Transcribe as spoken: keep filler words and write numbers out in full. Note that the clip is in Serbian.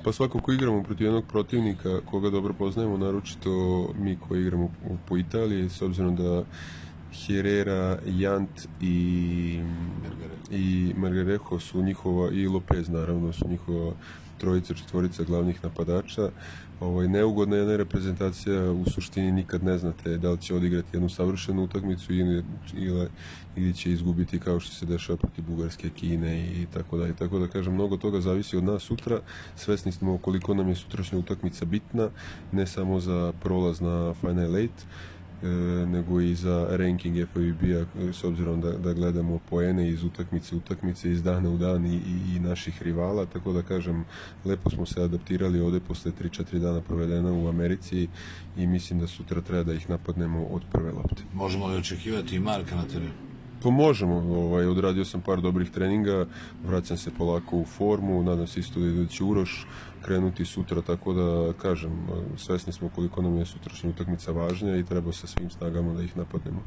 Pa svakako igramo protiv jednog protivnika koga dobro poznajemo, naročito mi koji igramo po Italiji, s obzirom da Herrera, Jant i, i Margarejo su njihova, i Lopez naravno, su njihova trojica, četvorica glavnih napadača. Ovaj, neugodna jedna reprezentacija, u suštini nikad ne znate da li će odigrati jednu savršenu utakmicu ili, ili, ili će izgubiti kao što se dešava protiv Bugarske, Kine i tako da. I tako da kažem, mnogo toga zavisi od nas sutra. Svesni smo koliko nam je sutrašnja utakmica bitna, ne samo za prolaz na Final Eight, nego i za ranking F I B A, s obzirom da, da gledamo poene iz utakmice utakmice, iz dana u dan i, i, i naših rivala, tako da kažem, lepo smo se adaptirali ovde posle tri četiri dana provedena u Americi i mislim da sutra treba da ih napadnemo od prve lopte. Možemo li očekivati i Marka na terenu? To možemo, ovaj, odradio sam par dobrih treninga, vraćam se polako u formu, nadam se isto da će Uroš krenuti sutra, tako da kažem, svesni smo koliko nam je sutrašnja utakmica važnja i treba sa svim snagama da ih napadnemo.